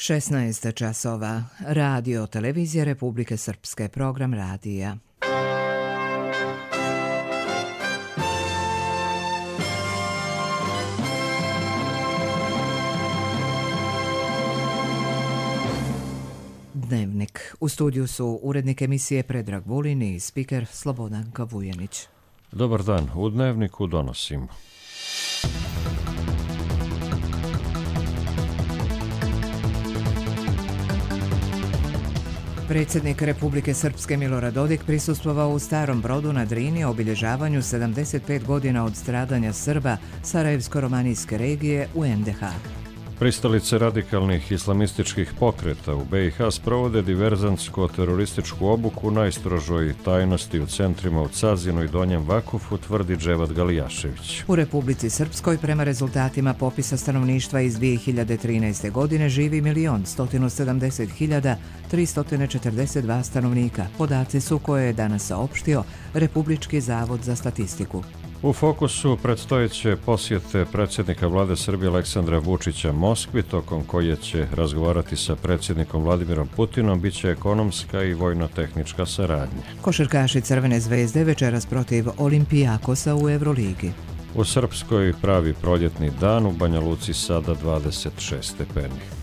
16 časova. Radio Televizija Republike Srpske. Program radija. Dnevnik. U studiju su urednik emisije Predrag Vulin i spiker Slobodanka Vujenić. Dobar dan. U Dnevniku donosimo. Predsjednik Republike Srpske Milorad Dodik prisustvovao u Starom Brodu na Drini obilježavanju 75 godina od stradanja Srba Sarajevsko-romanijske regije u NDH. Pristalice radikalnih islamističkih pokreta u BiH sprovode diverzantsko-terorističku obuku u najstrožoj tajnosti u centrima u Cazinu i Donjem Vakufu, tvrdi Dževad Galijašević. U Republici Srpskoj prema rezultatima popisa stanovništva iz 2013. godine živi 1.170.342 stanovnika. Podaci su koje je danas saopštio Republički zavod za statistiku. U fokusu predstojeće posjete predsjednika vlade Srbije Aleksandra Vučića Moskvi, tokom koje će razgovarati sa predsjednikom Vladimirom Putinom, bit će ekonomska i vojno-tehnička saradnja. Košarkaši Crvene zvezde večeras protiv Olimpijakosa u Evroligi. U Srpskoj pravi proljetni dan, u Banja Luci sada 26 stepeni.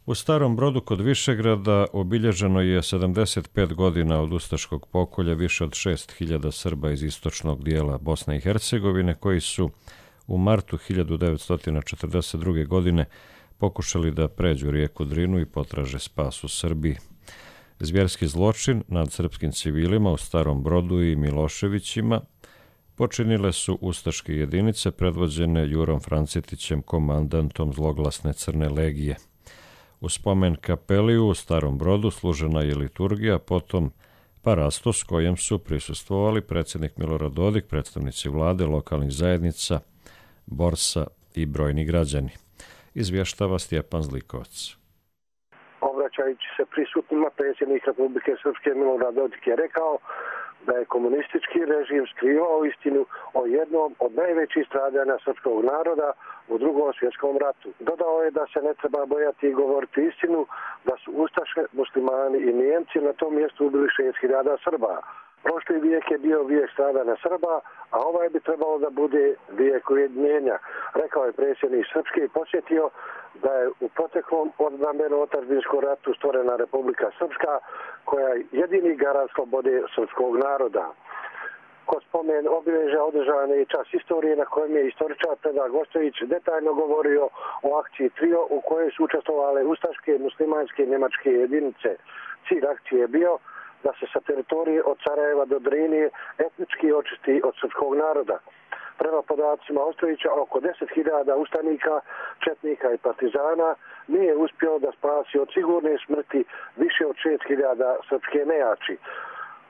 U Starom Brodu kod Višegrada obilježeno je 75 godina od ustaškog pokolja više od 6.000 Srba iz istočnog dijela Bosne i Hercegovine koji su u martu 1942. godine pokušali da pređu rijeku Drinu i potraže spas u Srbiji. Zvjerski zločin nad srpskim civilima u Starom Brodu i Miloševićima počinile su ustaške jedinice predvođene Jurom Francetićem, komandantom zloglasne Crne legije. U spomen kapeliju u Starom Brodu služena je liturgija, potom parastos kojem su prisustvovali predsjednik Milorad Dodik, predstavnici vlade, lokalnih zajednica, borsa i brojni građani. Izvještava Stjepan Zlikovac. Obraćajući se prisutnima, predsjednik Republike Srpske Milorad Dodik je rekao da je komunistički režim skrivao istinu o jednom od najvećih stradanja srpskog naroda u Drugom svjetskom ratu. Dodao je da se ne treba bojati i govoriti istinu, da su ustaše, muslimani i Nijemci na tom mjestu ubili 6.000 Srba. Prošli vijek je bio vijek stradanja Srba, a ovaj bi trebalo da bude vijek ujedinjenja. Rekao je predsjednik Srpske i podsjetio da je u proteklom odbrambeno-otadžbinskom ratu stvorena Republika Srpska, koja je jedini garant slobode srpskog naroda. Kod spomen obilježja održan je čas istorije na kojem je istoričar Predrag Ostojić detaljno govorio o akciji Trio u kojoj su učestvovale ustaške, muslimanske i njemačke jedinice. Cilj akcije je bio da se sa teritorije od Sarajeva do Drini etnički očisti od srpskog naroda. Prema podacima Ostojića, oko 10.000 ustanika, četnika i partizana nije uspio da spasi od sigurne smrti više od 6.000 srpske nejači.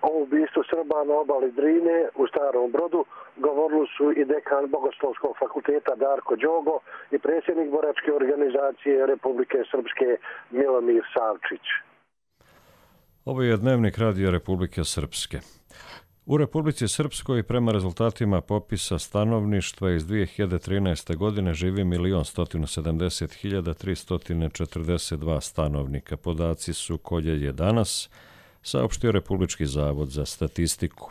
O ubistvu Srba na obali Drine u Starom Brodu govorili su i dekan Bogoslovskog fakulteta Darko Đogo i predsjednik boračke organizacije Republike Srpske Milomir Savčić. Ovo je Dnevnik Radija Republike Srpske. U Republici Srpskoj prema rezultatima popisa stanovništva iz 2013. godine živi 1.170.342 stanovnika. Podaci su koje je danas saopštio Republički zavod za statistiku.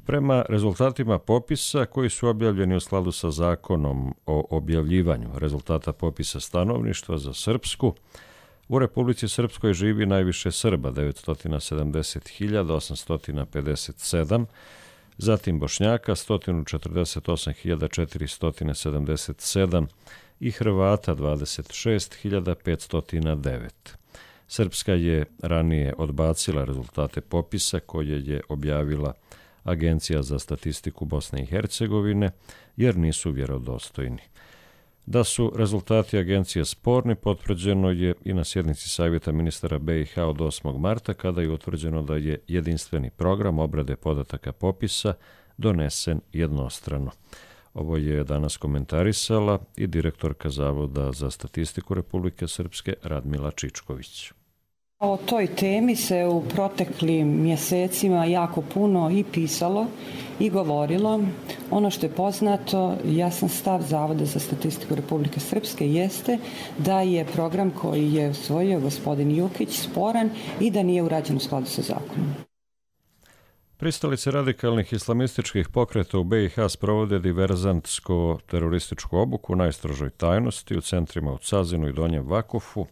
Prema rezultatima popisa koji su objavljeni u skladu sa zakonom o objavljivanju rezultata popisa stanovništva za Srpsku, u Republici Srpskoj živi najviše Srba, 940.857, zatim Bošnjaka 148.477 i Hrvata 26.509. Srpska je ranije odbacila rezultate popisa koje je objavila Agencija za statistiku Bosne i Hercegovine jer nisu vjerodostojni. Da su rezultati agencije sporni potvrđeno je i na sjednici Savjeta ministara BiH od 8. marta kada je utvrđeno da je jedinstveni program obrade podataka popisa donesen jednostrano. Ovo je danas komentarisala i direktorka Zavoda za statistiku Republike Srpske Radmila Čičković. O toj temi se u proteklim mjesecima jako puno i pisalo i govorilo. Ono što je poznato, jasan stav Zavoda za statistiku Republike Srpske jeste da je program koji je usvojio gospodin Jukić sporan i da nije urađen u skladu sa zakonom. Pristalice radikalnih islamističkih pokreta u BiH sprovode diverzantsko-terorističku obuku u najstrožoj tajnosti u centrima u Cazinu i Donjem Vakufu,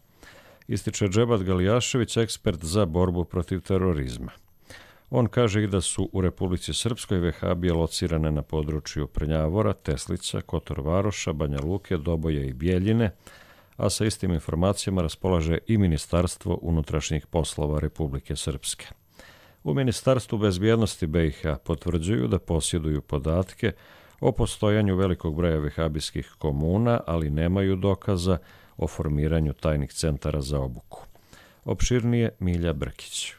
ističe Dževat Galijašević, ekspert za borbu protiv terorizma. On kaže i da su u Republici Srpskoj vehabije locirane na području Prnjavora, Teslica, Kotor Varoša, Banja Luke, Doboja i Bjeljine, a sa istim informacijama raspolaže i Ministarstvo unutrašnjih poslova Republike Srpske. U Ministarstvu bezbjednosti BiH potvrđuju da posjeduju podatke o postojanju velikog broja vehabijskih komuna, ali nemaju dokaza o formiranju tajnih centara za obuku. Opširnije Milja Brkić.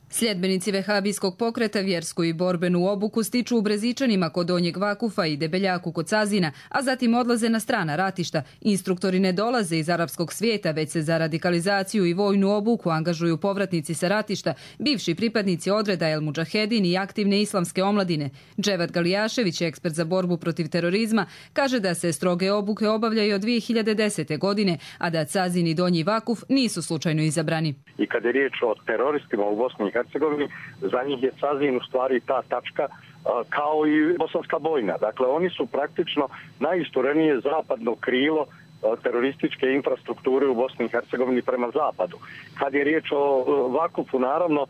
Sljedbenici vehabijskog pokreta vjersku i borbenu obuku stiču u Brezičanima kod Donjeg Vakufa i Debeljaku kod Cazina, a zatim odlaze na strana ratišta. Instruktori ne dolaze iz arapskog svijeta, već se za radikalizaciju i vojnu obuku angažuju povratnici sa ratišta, bivši pripadnici odreda El Mudžahedin i aktivne islamske omladine. Dževat Galijašević, ekspert za borbu protiv terorizma, kaže da se stroge obuke obavljaju od 2010. godine, a da Cazin i Donji Vakuf nisu slučajno izabrani. I kad je riječ o teroristima u Bosni i Hercegovini, za njih je Cazin u stvari ta tačka kao i Bosanska Bojna. Dakle, oni su praktično najisturenije zapadno krilo terorističke infrastrukture u Bosni i Hercegovini prema zapadu. Kad je riječ o Vakufu, naravno,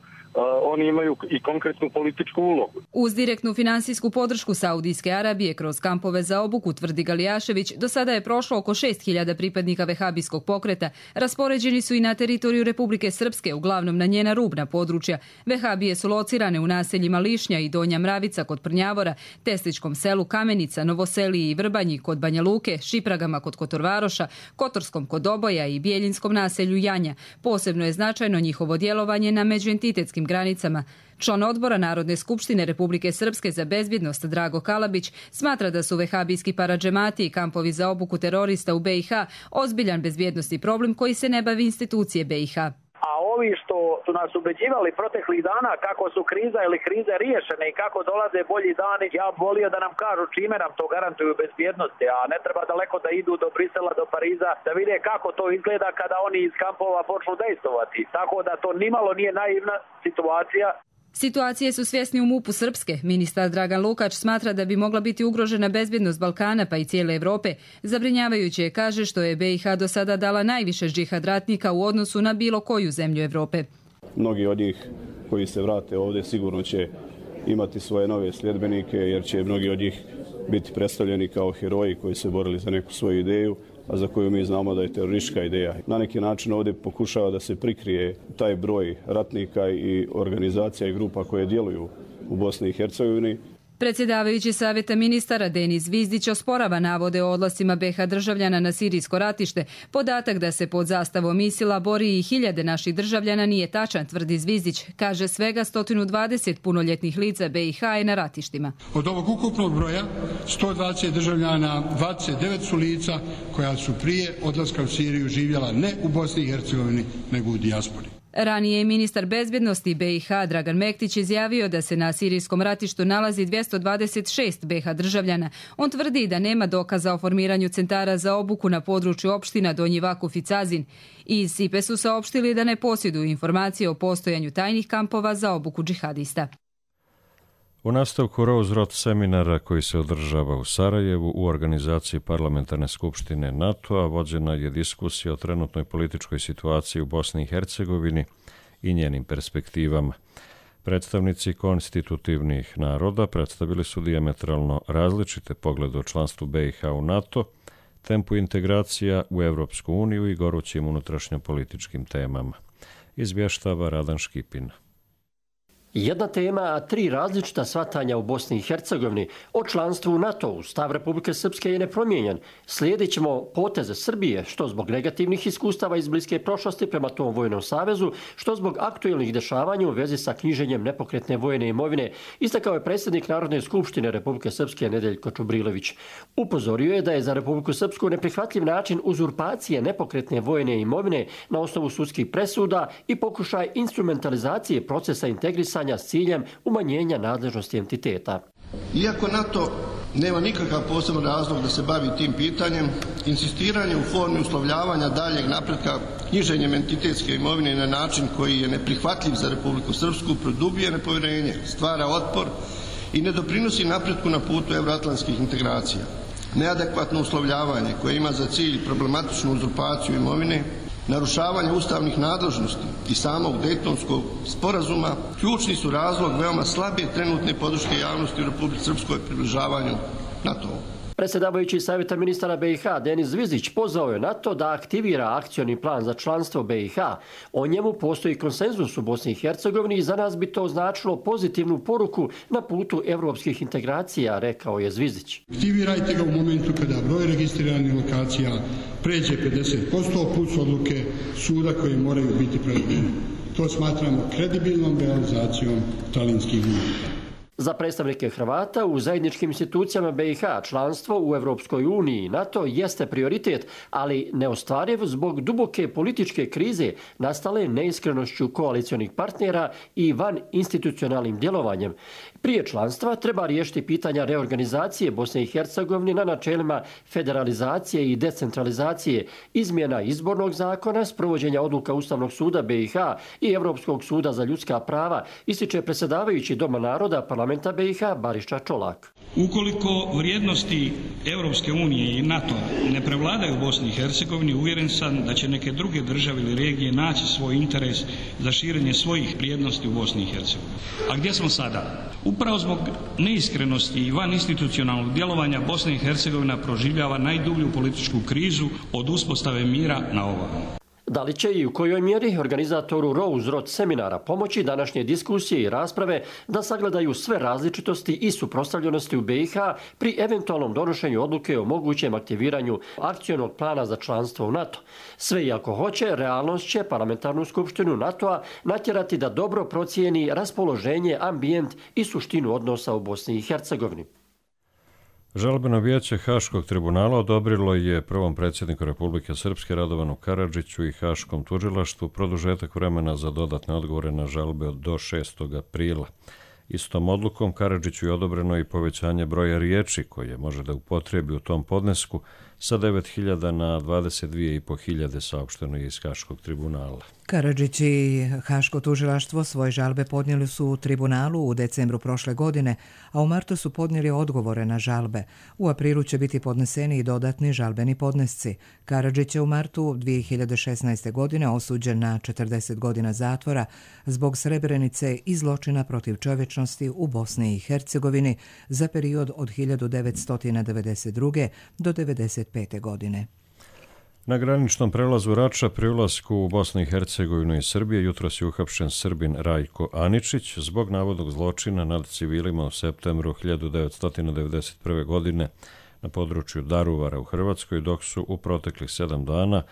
oni imaju i konkretnu političku ulogu. Uz direktnu finansijsku podršku Saudijske Arabije kroz kampove za obuku, tvrdi Galijašević, do sada je prošlo oko 6.000 pripadnika vehabijskog pokreta. Raspoređeni su i na teritoriju Republike Srpske, uglavnom na njena rubna područja. Vehabije su locirane u naseljima Lišnja i Donja Mravica kod Prnjavora, Tesličkom selu Kamenica, Novoseliji i Vrbanji kod Banja Luke, Šipragama kod Kotor Varoša, Kotorskom kod Doboja i Bjeljinskom naselju Janja. Posebno je značajno njihovo djelovanje na međuentitetskim granicama. Član odbora Narodne skupštine Republike Srpske za bezbjednost Drago Kalabić smatra da su vehabijski paradžemati i kampovi za obuku terorista u BiH ozbiljan bezbjednosni problem koji se ne bavi institucije BiH. A ovi što su nas ubeđivali proteklih dana kako su kriza ili krize riješene i kako dolaze bolji dani, ja bih volio da nam kažu čime nam to garantuju bezbjednosti, a ne treba daleko da idu do Brisela, do Pariza, da vide kako to izgleda kada oni iz kampova počnu dejstvovati. Tako da to nimalo nije naivna situacija. Situacije su svjesni u MUP-u Srpske. Ministar Dragan Lukač smatra da bi mogla biti ugrožena bezbjednost Balkana pa i cijele Evrope. Zabrinjavajuće je, kaže, što je BiH do sada dala najviše džihad ratnika u odnosu na bilo koju zemlju Evrope. Mnogi od njih koji se vrate ovdje sigurno će imati svoje nove sljedbenike, jer će mnogi od njih biti predstavljeni kao heroji koji se borili za neku svoju ideju, a za koju mi znamo da je teroristička ideja. Na neki način ovdje pokušava da se prikrije taj broj ratnika i organizacija i grupa koje djeluju u Bosni i Hercegovini. Predsjedavajući savjeta ministara Denis Zvizdić osporava navode o odlascima BiH državljana na sirijsko ratište. Podatak da se pod zastavom ISIL-a bori i 1000 naših državljana nije tačan, tvrdi Zvizdić. Kaže, svega 120 punoljetnih lica BiH je na ratištima. Od ovog ukupnog broja 120 državljana, 29 su lica koja su prije odlaska u Siriju živjela ne u Bosni i Hercegovini, nego u dijaspori. Ranije je ministar bezbjednosti BiH Dragan Mektić izjavio da se na sirijskom ratištu nalazi 226 BiH državljana. On tvrdi da nema dokaza o formiranju centara za obuku na području opština Donji Vakuf i Cazin. Iz SIPE su saopštili da ne posjeduju informacije o postojanju tajnih kampova za obuku džihadista. U nastavku Rose-Roth seminara koji se održava u Sarajevu u organizaciji Parlamentarne skupštine NATO-a vođena je diskusija o trenutnoj političkoj situaciji u Bosni i Hercegovini i njenim perspektivama. Predstavnici konstitutivnih naroda predstavili su dijametralno različite poglede o članstvu BiH u NATO, tempu integracija u Evropsku uniju i gorućim unutrašnjopolitičkim temama. Izvještava Radan Škipin. Jedna tema, a 3 različita shvatanja u Bosni i Hercegovini. O članstvu u NATO-u stav Republike Srpske je nepromijenjen. Slijedit ćemo poteze Srbije, što zbog negativnih iskustava iz bliske prošlosti prema tom vojnom savezu, što zbog aktuelnih dešavanja u vezi sa knjiženjem nepokretne vojne imovine, istakao je predsjednik Narodne skupštine Republike Srpske Nedeljko Čubrilović. Upozorio je da je za Republiku Srpsku neprihvatljiv način uzurpacije nepokretne vojne imovine na osnovu sudskih presuda i pokušaj instrumentalizacije procesa integrisanja s ciljem umanjenja nadležnosti entiteta. Iako NATO nema nikakav poseban razlog da se bavi tim pitanjem, insistiranje u formi uslovljavanja daljeg napretka knjiženjem entitetske imovine na način koji je neprihvatljiv za Republiku Srpsku produbljuje nepovjerenje, stvara otpor i ne doprinosi napretku na putu evroatlantskih integracija. Neadekvatno uslovljavanje koje ima za cilj problematičnu uzurpaciju imovine, narušavanje ustavnih nadležnosti i samog Dejtonskog sporazuma ključni su razlog veoma slabe trenutne podrške javnosti u Republici Srpskoj približavanju NATO-u. Predsjedavajući Savjeta ministara BiH Denis Zvizić pozvao je NATO da aktivira akcioni plan za članstvo BiH. O njemu postoji konsenzus u Bosni i Hercegovini i za nas bi to značilo pozitivnu poruku na putu evropskih integracija, rekao je Zvizić. Aktivirajte ga u momentu kada broj registriranih lokacija pređe 50% plus odluke suda koje moraju biti provedene. To smatramo kredibilnom realizacijom Talinskih ugovora. Za predstavnike Hrvata u zajedničkim institucijama BiH članstvo u Europskoj uniji i NATO jeste prioritet, ali neostvariv zbog duboke političke krize nastale neiskrenošću koalicionih partnera i van institucionalnim djelovanjem. Prije članstva treba riješiti pitanja reorganizacije Bosne i Hercegovine na načelima federalizacije i decentralizacije, izmjena izbornog zakona, sprovođenja odluka Ustavnog suda BiH i Europskog suda za ljudska prava, ističe predsjedavajući Doma naroda parlamenta BiH Bariša Čolak. Ukoliko vrijednosti Europske unije i NATO ne prevladaju u Bosni i Hercegovini, uvjeren sam da će neke druge države ili regije naći svoj interes za širenje svojih vrijednosti u Bosni i Hercegovini. A gdje smo sada? Upravo zbog neiskrenosti i van institucionalnog djelovanja Bosna i Hercegovina proživljava najdublju političku krizu od uspostave mira na ovamo. Da li će i u kojoj mjeri organizatoru Rose Road seminara pomoći današnje diskusije i rasprave da sagledaju sve različitosti i suprotstavljenosti u BiH pri eventualnom donošenju odluke o mogućem aktiviranju akcionog plana za članstvo u NATO? Sve i ako hoće, realnost će parlamentarnu skupštinu NATO-a natjerati da dobro procijeni raspoloženje, ambijent i suštinu odnosa u Bosni i Hercegovini. Žalbeno vijeće Haškog tribunala odobrilo je prvom predsjedniku Republike Srpske Radovanu Karadžiću i Haškom tužilaštvu produžetak vremena za dodatne odgovore na žalbe do 6. aprila. Istom odlukom Karadžiću je odobreno i povećanje broja riječi koje može da upotrebi u tom podnesku sa 9.000 na 22.500, saopšteno je iz Haškog tribunala. Karadžić i Haško tužilaštvo svoje žalbe podnijeli su u tribunalu u decembru prošle godine, a u martu su podnijeli odgovore na žalbe. U aprilu će biti podneseni i dodatni žalbeni podnesci. Karadžić je u martu 2016. godine osuđen na 40 godina zatvora zbog Srebrenice i zločina protiv čovječnosti u Bosni i Hercegovini za period od 1992. do 1995. godine. Na graničnom prelazu Rača pri ulasku u Bosnu i Hercegovinu i Srbije jutros je uhapšen Srbin Rajko Aničić zbog navodnog zločina nad civilima u septembru 1991. godine na području Daruvara u Hrvatskoj, dok su u proteklih 7 dana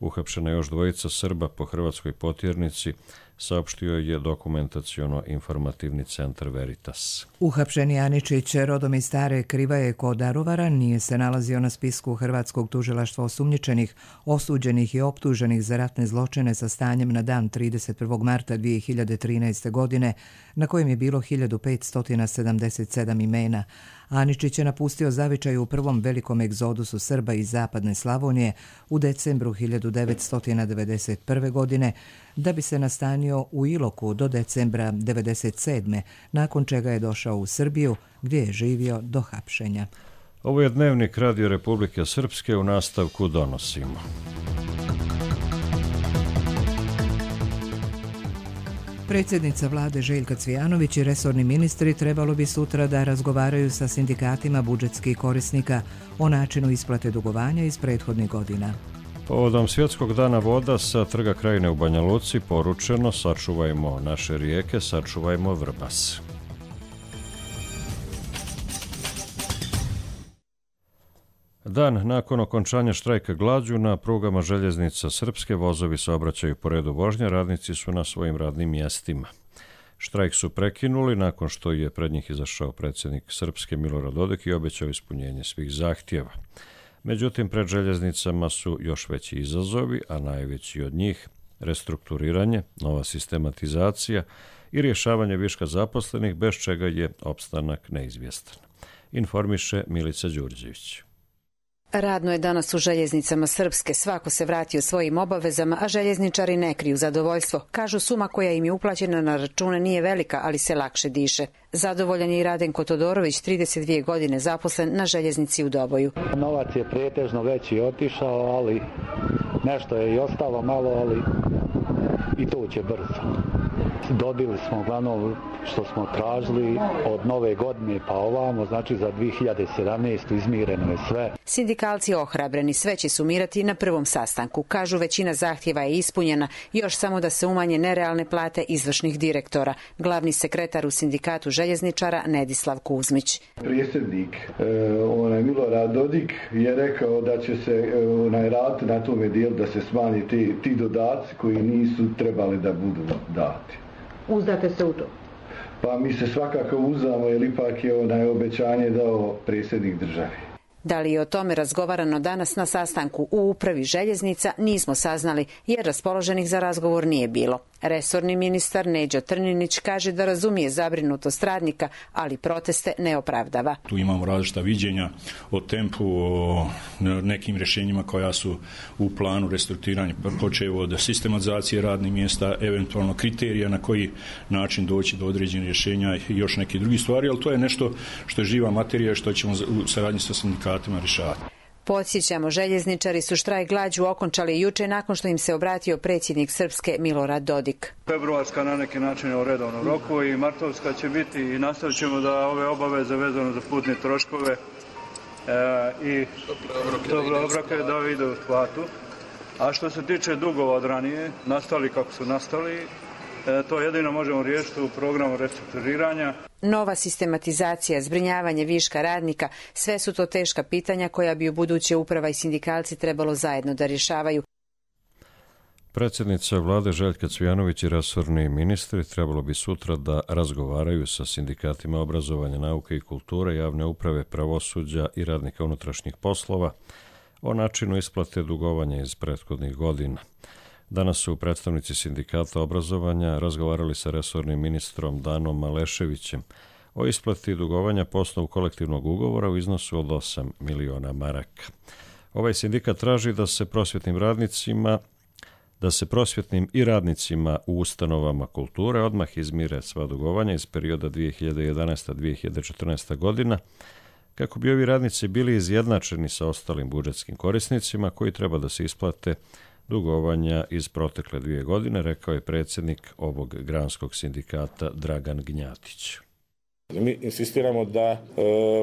uhapšena još dvojica Srba po hrvatskoj potjernici, saopštio je dokumentaciono-informativni centar Veritas. Uhapšeni Aničić, rodom iz Stare Krivaje kod Daruvara, nije se nalazio na spisku Hrvatskog tužilaštva osumnjičenih, osuđenih i optuženih za ratne zločine sa stanjem na dan 31. marta 2013. godine, na kojem je bilo 1577 imena. Aničić je napustio zavičaj u prvom velikom egzodusu Srba iz zapadne Slavonije u decembru 1991. godine, da bi se nastanio u Iloku do decembra 1997. nakon čega je došao u Srbiju, gdje je živio do hapšenja. Ovo je Dnevnik Radio Republike Srpske, u nastavku donosimo. Predsjednica vlade Željka Cvijanović i resorni ministri trebalo bi sutra da razgovaraju sa sindikatima budžetskih korisnika o načinu isplate dugovanja iz prethodnih godina. Povodom Svjetskog dana voda sa Trga Krajine u Banja Luci poručeno: sačuvajmo naše rijeke, sačuvajmo Vrbas. Dan nakon okončanja štrajka glađu na prugama željeznica Srpske vozovi saobraćaju po redu vožnje, radnici su na svojim radnim mjestima. Štrajk su prekinuli nakon što je pred njih izašao predsjednik Srpske Milorad Dodik i obećao ispunjenje svih zahtjeva. Međutim, pred željeznicama su još veći izazovi, a najveći od njih restrukturiranje, nova sistematizacija i rješavanje viška zaposlenih, bez čega je opstanak neizvjestan. Informiše Milica Đurđević. Radno je danas u željeznicama Srpske, svako se vratio svojim obavezama, a željezničari ne kriju zadovoljstvo. Kažu, suma koja im je uplaćena na račune nije velika, ali se lakše diše. Zadovoljan je i Radenko Todorović, 32 godine zaposlen na željeznici u Doboju. Novac je pretežno veći otišao, ali nešto je i ostalo malo, ali i to će brzo. Dobili smo uglavnom što smo tražili od nove godine pa ovamo, znači za 2017. izmireno je sve. Sindikalci ohrabreni, sve će sumirati na prvom sastanku. Kažu, većina zahtjeva je ispunjena, još samo da se umanje nerealne plate izvršnih direktora. Glavni sekretar u sindikatu željezničara Nedislav Kuzmić. Predsjednik Milorad Dodik je rekao da će se raditi na tome dijelu da se smanji ti dodaci koji nisu trebali da budu dati. Uzdate se u to? Pa mi se svakako uzdamo, jer ipak je obećanje dao predsjednik države. Da li je o tome razgovarano danas na sastanku u upravi željeznica, nismo saznali, jer raspoloženih za razgovor nije bilo. Resorni ministar Neđo Trninić kaže da razumije zabrinutost radnika, ali proteste ne opravdava. Tu imamo različita viđenja o tempu, o nekim rješenjima koja su u planu restrukturiranja, počev od sistematizacije radnih mjesta, eventualno kriterija na koji način doći do određenih rješenja i još neke drugi stvari, ali to je nešto što je živa materija što ćemo u saradnji sa sindikatima rješavati. Podsjećamo, željezničari su štrajk glađu okončali juče nakon što im se obratio predsjednik Srpske Milorad Dodik. Februarska na neki način u redovnom roku i martovska će biti i nastavit ćemo da ove obaveze vezano za putne troškove i tople obroke da ide u platu. A što se tiče dugova od ranije, nastali kako su nastali, to jedino možemo riješiti u programu restrukturiranja. Nova sistematizacija, zbrinjavanje viška radnika, sve su to teška pitanja koja bi u buduće uprava i sindikalci trebalo zajedno da rješavaju. Predsjednica vlade Željka Cvijanović i resorni ministri trebalo bi sutra da razgovaraju sa sindikatima obrazovanja, nauke i kulture, javne uprave, pravosuđa i radnika unutrašnjih poslova o načinu isplate dugovanja iz prethodnih godina. Danas su predstavnici sindikata obrazovanja razgovarali sa resornim ministrom Danom Maleševićem o isplati dugovanja po osnovu kolektivnog ugovora u iznosu od 8 miliona maraka. Ovaj sindikat traži da se prosvjetnim i radnicima u ustanovama kulture odmah izmire sva dugovanja iz perioda 2011-2014 godina, kako bi ovi radnici bili izjednačeni sa ostalim budžetskim korisnicima koji treba da se isplate dugovanja iz protekle 2 godine, rekao je predsjednik ovog granskog sindikata Dragan Gnjatić. Mi insistiramo da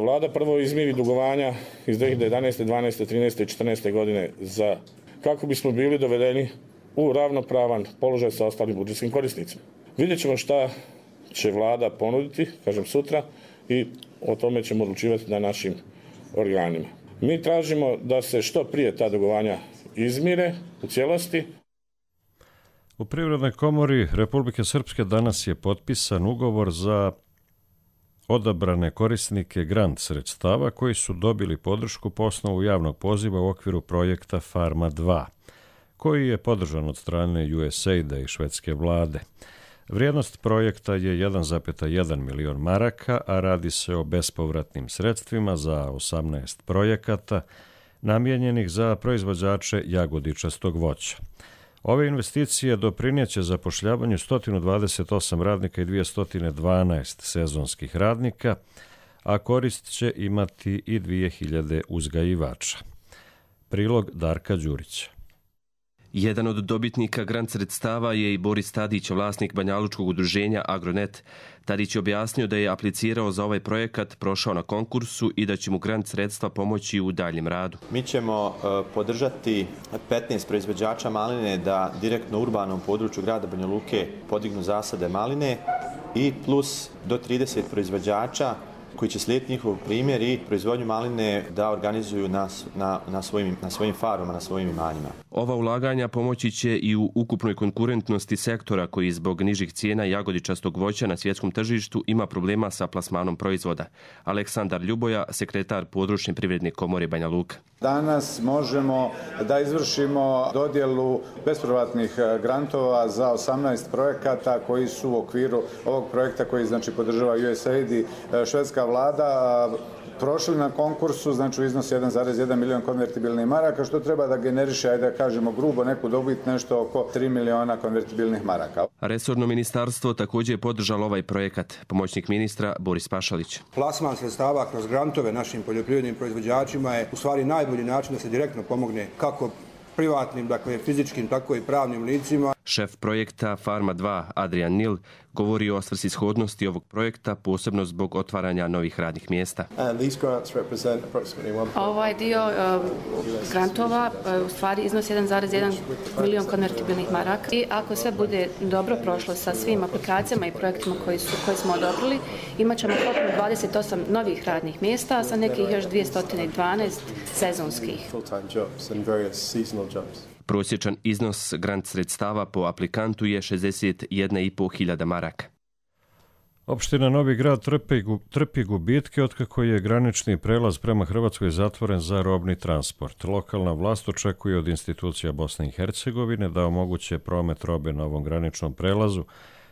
vlada prvo izmiri dugovanja iz 2011. 12. 13. i 14. godine kako bismo bili dovedeni u ravnopravan položaj sa ostalim budžetskim korisnicima. Vidjet ćemo šta će vlada ponuditi, kažem sutra, i o tome ćemo odlučivati na našim organima. Mi tražimo da se što prije ta dugovanja izmire u cijelosti. U Privrednoj komori Republike Srpske danas je potpisan ugovor za odabrane korisnike grant sredstava koji su dobili podršku po osnovu javnog poziva u okviru projekta Farma 2, koji je podržan od strane USAID-a i švedske vlade. Vrijednost projekta je 1,1 milion maraka, a radi se o bespovratnim sredstvima za 18 projekata namijenjenih za proizvođače jagodičastog voća. Ove investicije doprinijeće zapošljavanju 128 radnika i 212 sezonskih radnika, a korist će imati i 2000 uzgajivača. Prilog Darka Đurića. Jedan od dobitnika grant sredstava je i Boris Tadić, vlasnik banjalučkog udruženja Agronet. Tadić je objasnio da je aplicirao za ovaj projekat, prošao na konkursu i da će mu grant sredstva pomoći u daljem radu. Mi ćemo podržati 15 proizvođača maline da direktno u urbanom području grada Banja Luke podignu zasade maline i plus do 30 proizvođača koji će slijediti njihov primjer i proizvodnju maline da organizuju na svojim farmama, na svojim imanjima. Ova ulaganja pomoći će i u ukupnoj konkurentnosti sektora koji zbog nižih cijena jagodičastog voća na svjetskom tržištu ima problema sa plasmanom proizvoda. Aleksandar Ljuboja, sekretar područne privredne komore Banja Luka. Danas možemo da izvršimo dodjelu bespovratnih grantova za 18 projekata koji su u okviru ovog projekta koji znači podržava USAID i švedska vlada prošli na konkursu, znači u iznosu 1,1 milion konvertibilnih maraka, što treba da generiše, ajde da kažemo grubo, neku dobit nešto oko 3 miliona konvertibilnih maraka. Resorno ministarstvo također je podržalo ovaj projekat. Pomoćnik ministra Boris Pašalić. Plasman sredstava kroz grantove našim poljoprivrednim proizvođačima je u stvari najbolji način da se direktno pomogne kako privatnim, dakle fizičkim, tako i pravnim licima. Šef projekta Farma 2, Adrian Nil, govori o svrsishodnosti ovog projekta, posebno zbog otvaranja novih radnih mjesta. Ovaj dio grantova u stvari iznosi 1,1 milion konvertibilnih maraka i ako sve bude dobro prošlo sa svim aplikacijama i projektima koje smo odobrili, imat ćemo 28 novih radnih mjesta sa nekih još 212 sezonskih. Prosječan iznos grant sredstava po aplikantu je 61.500 maraka. Opština Novi Grad trpi gubitke otkako je granični prelaz prema Hrvatskoj zatvoren za robni transport. Lokalna vlast očekuje od institucija Bosne i Hercegovine da omoguće promet robe na ovom graničnom prelazu,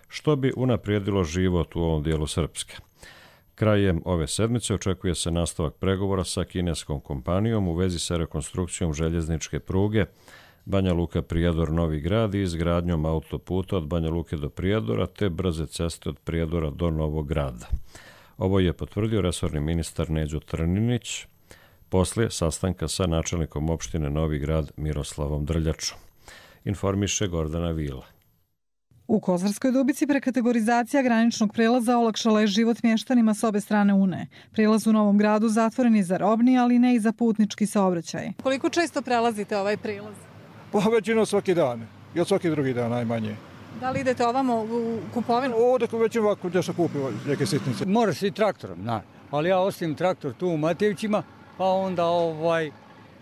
što bi unaprijedilo život u ovom dijelu Srpske. Krajem ove sedmice očekuje se nastavak pregovora sa kineskom kompanijom u vezi sa rekonstrukcijom željezničke pruge Banja Luka Prijedor Novi Grad i izgradnjom autoputa od Banja Luke do Prijedora te brze ceste od Prijedora do Novog Grada. Ovo je potvrdio resorni ministar Neđo Trninić poslije sastanka sa načelnikom opštine Novi Grad Miroslavom Drljačom. Informiše Gordana Vila. U Kozarskoj Dubici prekategorizacija graničnog prelaza olakšala je život mještanima s obe strane Une. Prijelaz u Novom Gradu zatvoren je za robni, ali ne i za putnički saobraćaj. Koliko često prelazite ovaj prilaz? Pa većinom svaki dan, i od svaki drugi dan najmanje. Da li idete ovamo u kupovinu? Ovdje već ovako gdje se kupi neke sitnice. Mora se i traktorom, ali ja ostavim traktor tu u Matevćima, pa onda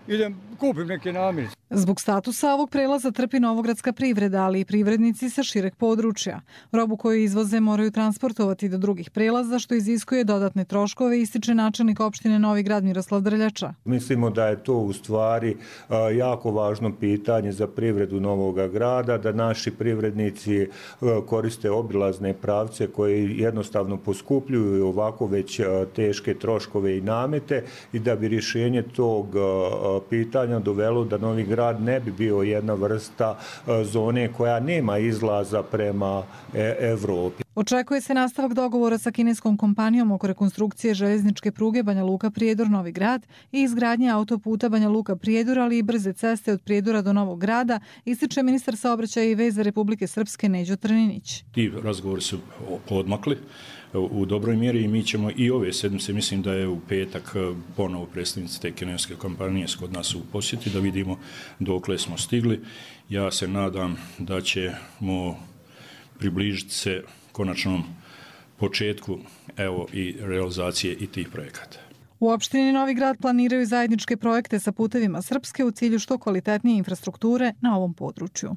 idem kupim neke namirnice. Zbog statusa ovog prelaza trpi novogradska privreda, ali i privrednici sa šireg područja. Robu koju izvoze moraju transportovati do drugih prelaza, što iziskuje dodatne troškove, ističe načelnik opštine Novi Grad Miroslav Drljača. Mislimo da je to u stvari jako važno pitanje za privredu Novog Grada, da naši privrednici koriste obilazne pravce koje jednostavno poskupljuju ovako već teške troškove i namete i da bi rješenje tog pitanja dovelo da Novi Grad ne bi bio jedna vrsta zone koja nema izlaza prema Evropi. Očekuje se nastavak dogovora sa kineskom kompanijom oko rekonstrukcije željezničke pruge Banja Luka Prijedor Novi Grad i izgradnje autoputa Banja Luka Prijedor, ali i brze ceste od Prijedora do Novog Grada, ističe ministar saobraćaja i veza Republike Srpske Neđo Trninić. Ti razgovori su podmakli u dobroj mjeri i mi ćemo i ove sedmice, mislim da je u petak ponovo predstavnici te kineske kompanije kod nas u posjeti da vidimo dokle smo stigli. Ja se nadam da ćemo približiti se konačnom početku i realizacije i tih projekata. U opštini Novi Grad planiraju zajedničke projekte sa putevima Srpske u cilju što kvalitetnije infrastrukture na ovom području.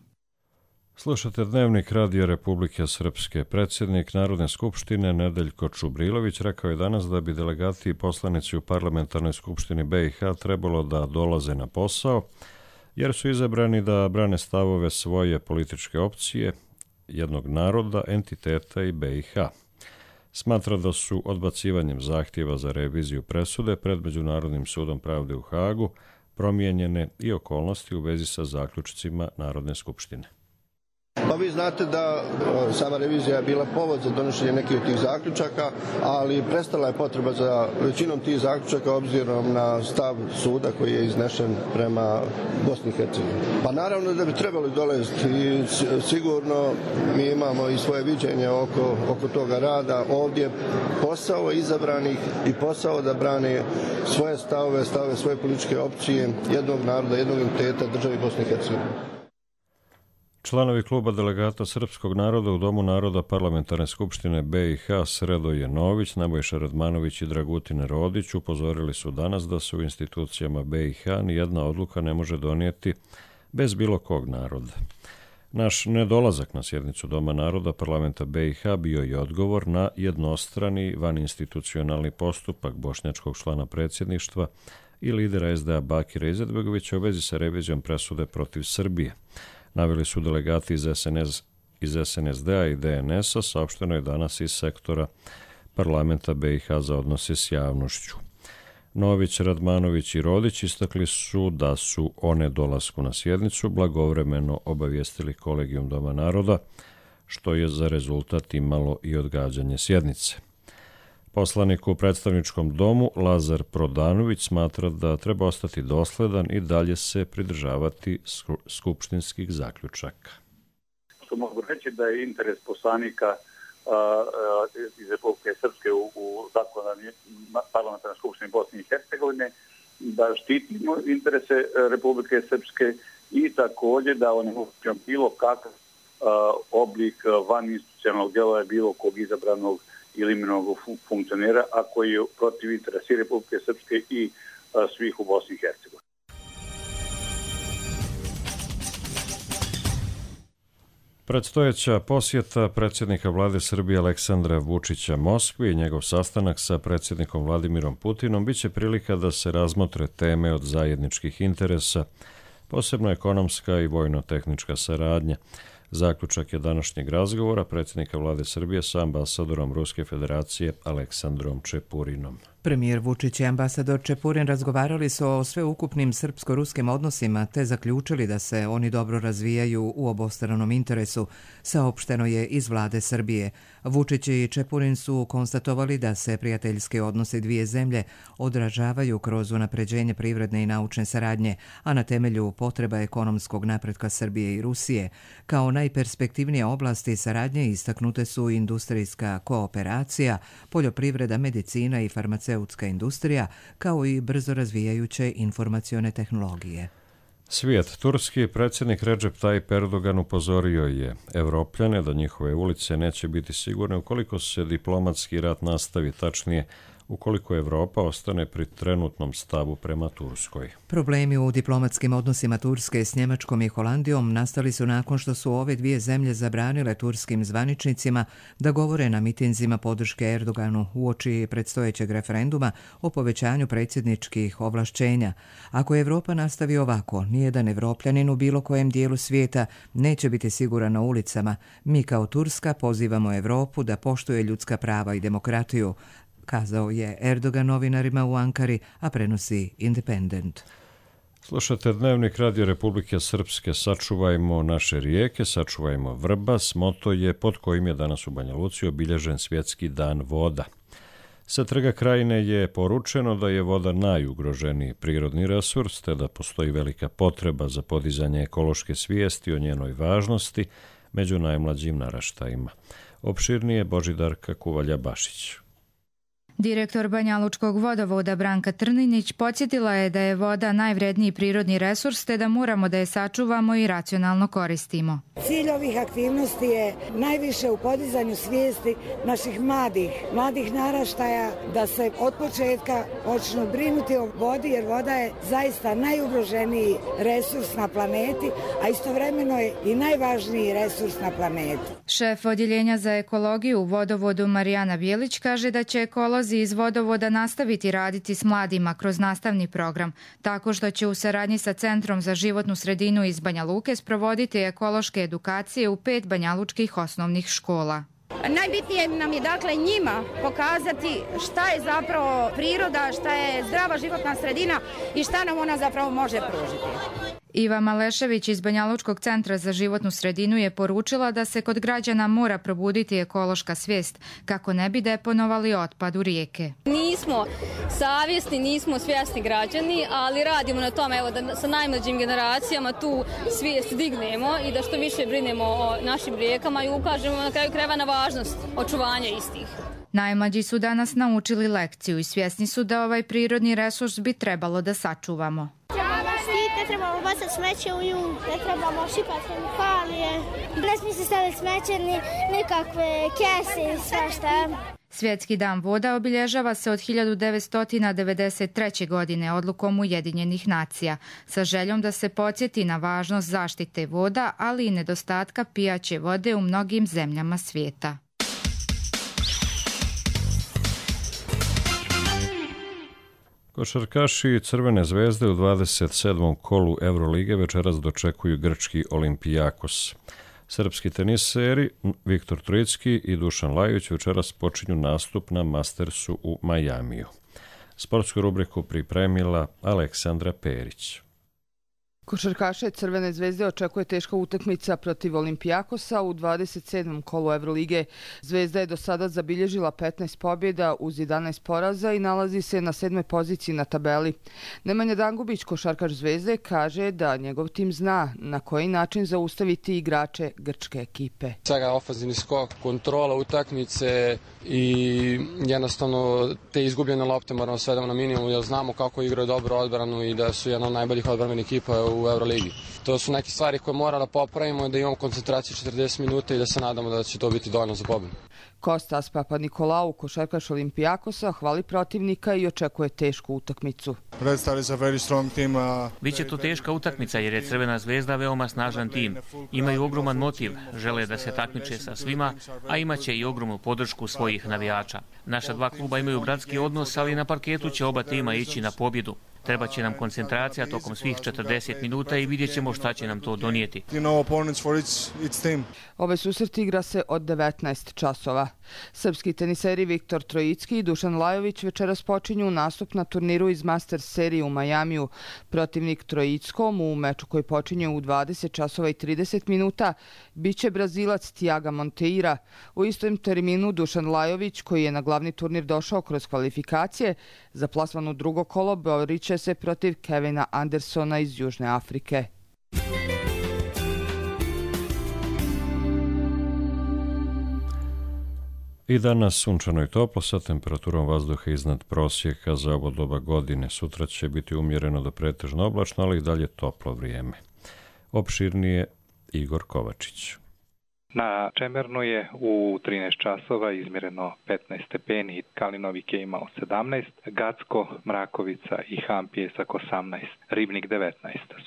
Slušate Dnevnik Radija Republike Srpske. Predsjednik Narodne skupštine Nedeljko Čubrilović rekao je danas da bi delegati i poslanici u Parlamentarnoj skupštini BiH trebalo da dolaze na posao, jer su izabrani da brane stavove svoje političke opcije, jednog naroda, entiteta i BiH. Smatra da su odbacivanjem zahtjeva za reviziju presude pred Međunarodnim sudom pravde u Hagu promijenjene i okolnosti u vezi sa zaključcima Narodne skupštine. Pa vi znate da sama revizija je bila povod za donošenje nekih od tih zaključaka, ali prestala je potreba za većinom tih zaključaka obzirom na stav suda koji je iznešen prema Bosni i Hercegovini. Pa naravno da bi trebali dolaziti i sigurno mi imamo i svoje viđenje oko toga rada. Ovdje posao izabranih i posao da brane svoje stavove svoje političke opcije, jednog naroda, jednog entiteta državi Bosne i Hercegovine. Članovi kluba delegata srpskog naroda u Domu naroda Parlamentarne skupštine BiH Sredoje Nović, Nebojša Radmanović i Dragutin Rodić upozorili su danas da se u institucijama BiH nijedna odluka ne može donijeti bez bilo kog naroda. Naš nedolazak na sjednicu Doma naroda Parlamenta BiH bio je odgovor na jednostrani vaninstitucionalni postupak bošnjačkog člana predsjedništva i lidera SDA Bakira Izetbegovića u vezi sa revizijom presude protiv Srbije. Naveli su delegati iz SNSD-a i DNS-a, saopšteno je danas iz sektora Parlamenta BiH za odnose s javnošću. Nović, Radmanović i Rodić istakli su da su o nedolasku na sjednicu blagovremeno obavijestili Kolegijum Doma naroda, što je za rezultat imalo i odgađanje sjednice. Poslanik u predstavničkom domu Lazar Prodanović smatra da treba ostati dosledan i dalje se pridržavati skupštinskih zaključaka. Što mogu reći da je interes poslanika iz Republike Srpske u Parlamentarnoj skupštini Bosne i Hercegovine da štitimo interese Republike Srpske i također da onemogućimo bilo kakav oblik vaninstitucionalnog djelovanja bilo kog izabranog ili imenovanog funkcionera, a koji je protiv interesa Republike Srpske i svih u Bosni i Hercegovini. Predstojeća posjeta predsjednika vlade Srbije Aleksandra Vučića Moskvi i njegov sastanak sa predsjednikom Vladimirom Putinom biće prilika da se razmotre teme od zajedničkih interesa, posebno ekonomska i vojno-tehnička saradnja. Zaključak je današnjeg razgovora predsjednika vlade Srbije sa ambasadorom Ruske federacije Aleksandrom Čepurinom. Premijer Vučić i ambasador Čepurin razgovarali su o sveukupnim srpsko-ruskim odnosima te zaključili da se oni dobro razvijaju u obostranom interesu, saopšteno je iz vlade Srbije. Vučić i Čepurin su konstatovali da se prijateljski odnosi dvije zemlje odražavaju kroz unapređenje privredne i naučne saradnje, a na temelju potreba ekonomskog napretka Srbije i Rusije. Kao najperspektivnije oblasti saradnje istaknute su industrijska kooperacija, poljoprivreda, medicina i farmaceutska industrija, kao i brzo razvijajuće informacione tehnologije. Svijet. Turski predsjednik Recep Tayyip Erdogan upozorio je Evropljane da njihove ulice neće biti sigurne ukoliko se diplomatski rat nastavi, tačnije ukoliko Evropa ostane pri trenutnom stavu prema Turskoj. Problemi u diplomatskim odnosima Turske s Njemačkom i Holandijom nastali su nakon što su ove dvije zemlje zabranile turskim zvaničnicima da govore na mitinzima podrške Erdoganu uoči predstojećeg referenduma o povećanju predsjedničkih ovlašćenja. Ako Evropa nastavi ovako, nijedan Evropljanin u bilo kojem dijelu svijeta neće biti siguran na ulicama. Mi kao Turska pozivamo Evropu da poštuje ljudska prava i demokratiju, kazao je Erdogan novinarima u Ankari, a prenosi Independent. Slušate Dnevnik Radio Republike Srpske. Sačuvajmo naše rijeke, sačuvajmo Vrbas. Moto je pod kojim je danas u Banja Luci obilježen Svjetski dan voda. Sa Trga Krajine je poručeno da je voda najugroženiji prirodni resurs, te da postoji velika potreba za podizanje ekološke svijesti o njenoj važnosti među najmlađim naraštajima. Opširnije Božidarka Kuvalja-Bašić. Direktor Banjalučkog vodovoda Branka Trninić podsjetila je da je voda najvredniji prirodni resurs te da moramo da je sačuvamo i racionalno koristimo. Cilj ovih aktivnosti je najviše u podizanju svijesti naših mladih naraštaja da se od početka počnu brinuti o vodi, jer voda je zaista najugroženiji resurs na planeti, a istovremeno je i najvažniji resurs na planeti. Šef odjeljenja za ekologiju u vodovodu Marijana Bijelić kaže da će ekolozi iz vodovoda nastaviti raditi s mladima kroz nastavni program, tako što će u saradnji sa Centrom za životnu sredinu iz Banja Luke sprovoditi ekološke edukacije u 5 banjalučkih osnovnih škola. Najbitnije nam je dakle njima pokazati šta je zapravo priroda, šta je zdrava životna sredina i šta nam ona zapravo može pružiti. Iva Malešević iz Banjalučkog centra za životnu sredinu je poručila da se kod građana mora probuditi ekološka svijest kako ne bi deponovali otpad u rijeke. Nismo savjesni, nismo svjesni građani, ali radimo na tome da sa najmlađim generacijama tu svijest dignemo i da što više brinemo o našim rijekama i ukažemo na kraju krajeva na važnost očuvanja istih. Najmlađi su danas naučili lekciju i svjesni su da ovaj prirodni resurs bi trebalo da sačuvamo. Ne trebamo bacati smeće u nju, ne trebamo šipati hemikalije, ne smije se staviti smeće, nikakve kese i svašta. Svjetski dan voda obilježava se od 1993. godine odlukom Ujedinjenih nacija, sa željom da se podsjeti na važnost zaštite voda, ali i nedostatka pijaće vode u mnogim zemljama svijeta. Košarkaši Crvene zvezde u 27. kolu Eurolige večeras dočekuju grčki Olimpijakos. Srpski teniseri Viktor Trojicki i Dušan Lajović večeras počinju nastup na Mastersu u Majamiju. Sportsku rubriku pripremila Aleksandra Perić. Košarkaše Crvene zvezde očekuje teška utakmica protiv Olimpijakosa u 27. kolu Evrolige. Zvezda je do sada zabilježila 15 pobjeda uz 11 poraza i nalazi se na 7. poziciji na tabeli. Nemanja Dangubić, košarkaš Zvezde, kaže da njegov tim zna na koji način zaustaviti igrače grčke ekipe. Svega ofanzivni skok, kontrola utakmice i jednostavno te izgubljene lopte moramo svedemo na minimum jer znamo kako igraju dobro odbranu i da su jedna od najboljih odbranbenih ekipa u Euroligi. To su neke stvari koje mora da popravimo, da imamo koncentraciju 40 minuta i da se nadamo da će to biti dovoljno za pobjedu. Kostas Papadnikolau, košarkaš Olimpijakosa, hvali protivnika i očekuje tešku utakmicu. Biće to teška utakmica jer je Crvena zvezda veoma snažan tim. Imaju ogroman motiv, žele da se takmiče sa svima, a imaće i ogromnu podršku svojih navijača. Naša dva kluba imaju bratski odnos, ali na parketu će oba tima ići na pobjedu. Treba će nam koncentracija tokom svih 40 minuta i vidjet ćemo šta će nam to donijeti. Ove susret igra se od 19 časova. Srpski teniseri Viktor Trojicki i Dušan Lajović večeras počinju nastup na turniru iz Masters serije u Majamiju. Protivnik Trojickom u meču koji počinje u 20 časova i 30 minuta biće Brazilac Tiago Monteiro. U istom terminu Dušan Lajović, koji je na glavni turnir došao kroz kvalifikacije, za plasman u drugo kolo borit će se protiv Kevina Andersona iz Južne Afrike. I danas sunčano i toplo sa temperaturom vazduha iznad prosjeka za ovo doba godine. Sutra će biti umjereno do pretežno oblačno, ali i dalje toplo vrijeme. Opširnije Igor Kovačić. Na Čemernu je u 13 časova izmjereno 15 stepeni, Kalinovik je imao 17, Gacko, Mrakovica i Han Pjesak 18, Ribnik 19,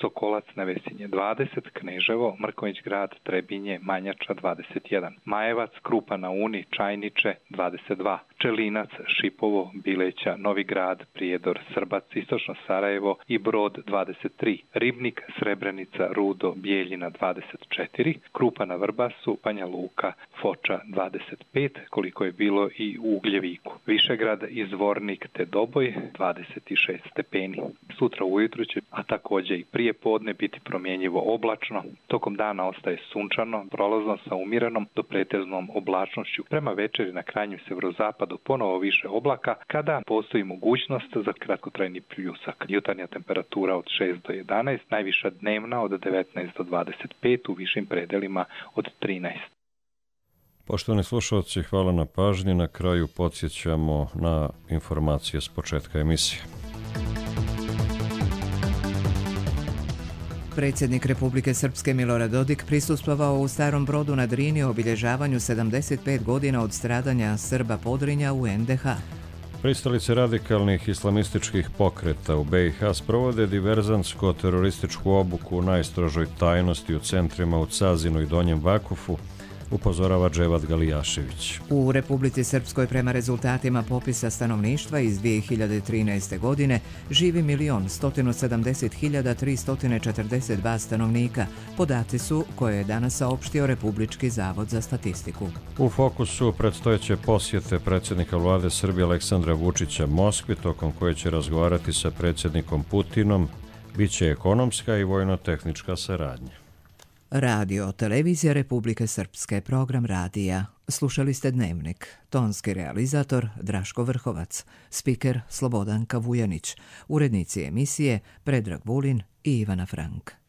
Sokolac na Vesinje 20, Kneževo, Mrkonjić grad, Trebinje, Manjača 21, Majevac, Krupa na Uni, Čajniče 22, Čelinac, Šipovo, Bileća, Novi grad, Prijedor, Srbac, Istočno Sarajevo i Brod 23, Ribnik, Srebrenica, Rudo, Bijeljina 24, Krupa na Vrbasu, Banja Luka, Foča 25, koliko je bilo i u Ugljeviku. Višegrad, Izvornik te Doboj 26 stepeni. Sutra ujutru će, a također i prije podne, biti promjenjivo oblačno. Tokom dana ostaje sunčano, prolazno sa umjerenom do pretežnom oblačnošću. Prema večeri na krajnjem severozapadu ponovo više oblaka, kada postoji mogućnost za kratkotrajni pljusak. Jutarnja temperatura od 6 do 11, najviša dnevna od 19 do 25, u višim predelima od 13. Poštovani slušalci, hvala na pažnji. Na kraju podsjećamo na informacije s početka emisije. Predsjednik Republike Srpske Milorad Dodik prisustvovao u Starom Brodu na Drini obilježavanju 75 godina od stradanja Srba Podrinja u NDH. Pristalice radikalnih islamističkih pokreta u BiH sprovode diverzantsko-terorističku obuku u najstrožoj tajnosti u centrima u Cazinu i Donjem Vakufu, upozorava Dževad Galijašević. U Republici Srpskoj prema rezultatima popisa stanovništva iz 2013. godine živi 1.170.342 stanovnika. Podaci su koje je danas saopštio Republički zavod za statistiku. U fokusu predstojeće posjete predsjednika vlade Srbije Aleksandra Vučića Moskvi, tokom koje će razgovarati sa predsjednikom Putinom Biće ekonomska i vojno-tehnička saradnja. Radio Televizija Republike Srpske, program radija. Slušali ste Dnevnik. Tonski realizator Draško Vrhovac, spiker Slobodanka Vujanić, urednici emisije Predrag Vulin i Ivana Frank.